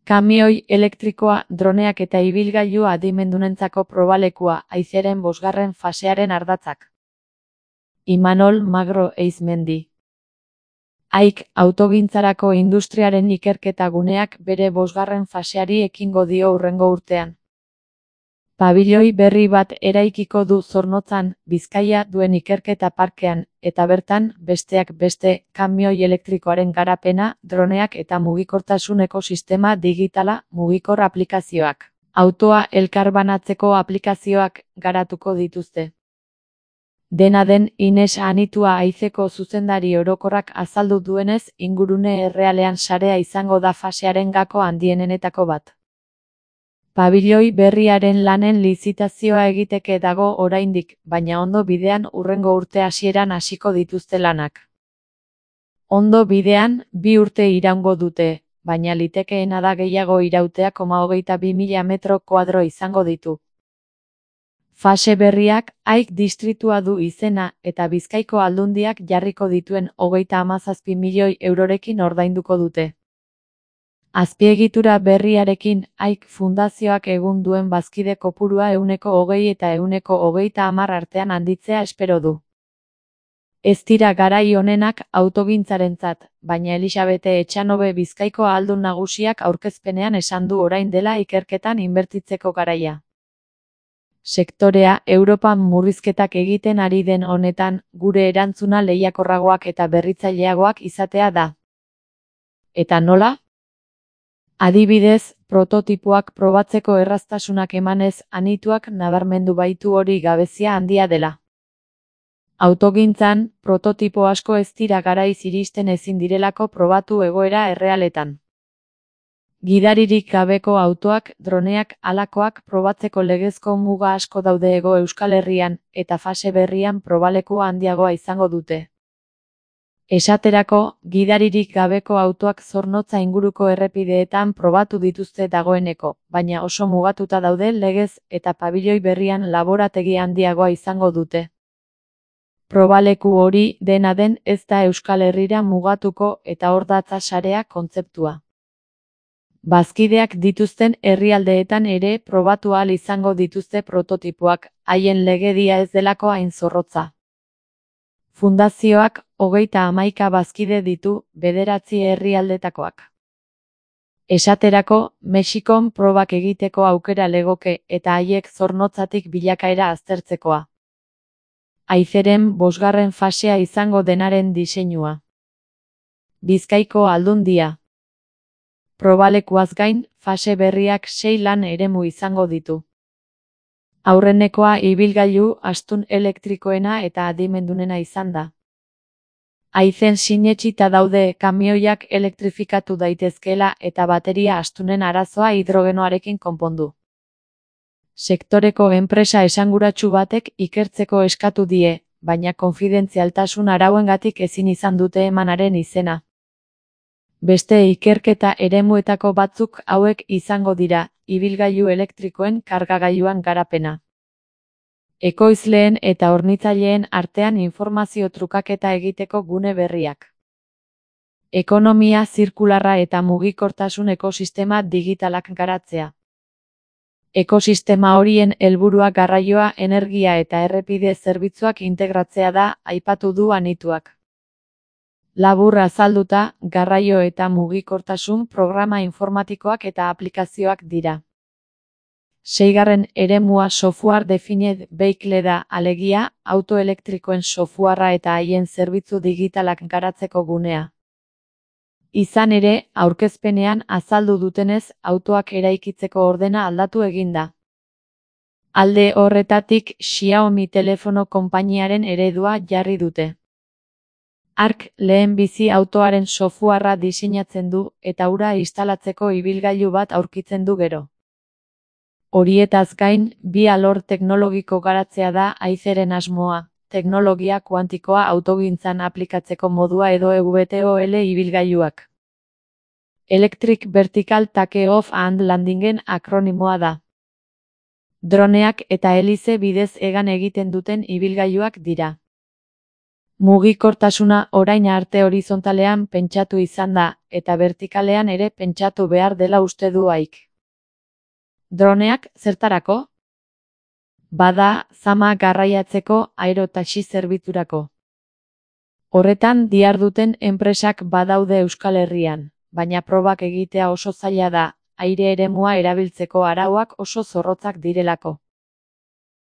Kamioi elektrikoa, droneak eta ibilgailu adimendunentzako probalekua, haizeren 5. fasearen ardatzak. Imanol Magro Eizmendi. AIK autogintzarako industriaren ikerketa guneak bere 5. faseari ekingo dio hurrengo urtean. Pabilioi berri bat eraikiko du Zornotzan, Bizkaia duen ikerketa parkean, eta bertan, besteak beste, kamioi elektrikoaren garapena, droneak eta mugikortasun ekosistema digitala, mugikor aplikazioak, autoa elkarbanatzeko aplikazioak garatuko dituzte. Dena den, Ines Anitua Aizeko zuzendari orokorrak azaldu duenez, ingurune errealean sarea izango da fasearen gako handienenetako bat. Pabilioi berriaren lanen lizitazioa egiteke dago oraindik, baina ondo bidean hurrengo urte hasieran hasiko dituzte lanak. Ondo bidean, 2 urte iraungo dute, baina litekeena da gehiago irautea 22.000 metro kuadro izango ditu. Fase berriak, AIK distritua du izena, eta Bizkaiko Aldundiak jarriko dituen 37 milioi eurorekin ordainduko dute. Azpiegitura berriarekin, AIK fundazioak egun duen bazkide kopurua 120 eta 130 artean handitzea espero du. Ez dira garai honenak autogintzarentzat, baina Elisabete Etxanobe Bizkaiko Ahaldun Nagusiak aurkezpenean esan du orain dela ikerketan inbertitzeko garaia. Sektorea Europan murrizketak egiten ari den honetan, gure erantzuna lehiakorragoak eta berritzaileagoak izatea da. Eta nola? Adibidez, prototipoak probatzeko erraztasunak emanez, Anituak nabarmendu baitu hori gabezia handia dela. Autogintzan, prototipo asko ez dira garaiz iristen ezin direlako probatu egoera errealetan. Gidaririk gabeko autoak, droneak, halakoak probatzeko legezko muga asko daude Hego Euskal Herrian, eta fase berrian probaleku handiagoa izango dute. Esaterako, gidaririk gabeko autoak Zornotza inguruko errepideetan probatu dituzte dagoeneko, baina oso mugatuta daude legez eta pabilioi berrian laborategi handiagoa izango dute. Probaleku hori, dena den, ez da Euskal Herrira mugatuko eta hor datza sarea kontzeptua. Bazkideak dituzten herrialdeetan ere probatu ahal izango dituzte prototipoak, haien legedia ez delako hain zorrotza. Fundazioak 31 bazkide ditu, 9 herrialdetakoak. Esaterako, Mexikon probak egiteko aukera legoke eta haiek Zornotzatik bilakaera aztertzekoa. Aizeren 5. fasea izango denaren diseinua. Bizkaiko Aldundia. Probalekuaz gain, fase berriak 6 lan eremu izango ditu. Aurrenekoa ibilgailu astun elektrikoena eta adimendunena izan da. Aizen sinetsita daude kamioiak elektrifikatu daitezkeela eta bateria astunen arazoa hidrogenoarekin konpondu. Sektoreko enpresa esanguratsu batek ikertzeko eskatu die, baina konfidentzialtasun arauengatik ezin izan dute emanaren izena. Beste ikerketa eremuetako batzuk hauek izango dira, ibilgailu elektrikoen kargagailuan garapena. Ekoizleen eta hornitzaileen artean informazio trukaketa egiteko gune berriak. Ekonomia zirkularra eta mugikortasun ekosistema digitalak garatzea. Ekosistema horien helburua garraioa, energia eta errepide zerbitzuak integratzea da, aipatu du Anituak. Labur azalduta, garraio eta mugikortasun programa informatikoak eta aplikazioak dira. 6. eremua software defined vehicle da, alegia, autoelektrikoen softwarea eta haien zerbitzu digitalak garatzeko gunea. Izan ere, aurkezpenean azaldu dutenez, autoak eraikitzeko ordena aldatu eginda. Alde horretatik, Xiaomi telefono konpainiaren eredua jarri dute. Ark lehenbizi autoaren softwarea diseinatzen du eta hura instalatzeko ibilgailu bat aurkitzen du gero. Horietaz gain, bi alor teknologiko garatzea da Aizeren asmoa, teknologia kuantikoa autogintzan aplikatzeko modua edo EVTOL ibilgailuak. Electric Vertical Take-off and Landingen akronimoa da. Droneak eta helize bidez hegan egiten duten ibilgailuak dira. Mugikortasuna orain arte horizontalean pentsatu izan da, eta vertikalean ere pentsatu behar dela uste du Aik. Droneak, zertarako? Bada, zama garraiatzeko aerotaxi zerbitzurako. Horretan diharduten enpresak badaude Euskal Herrian, baina probak egitea oso zaila da, aire eremua erabiltzeko arauak oso zorrotzak direlako.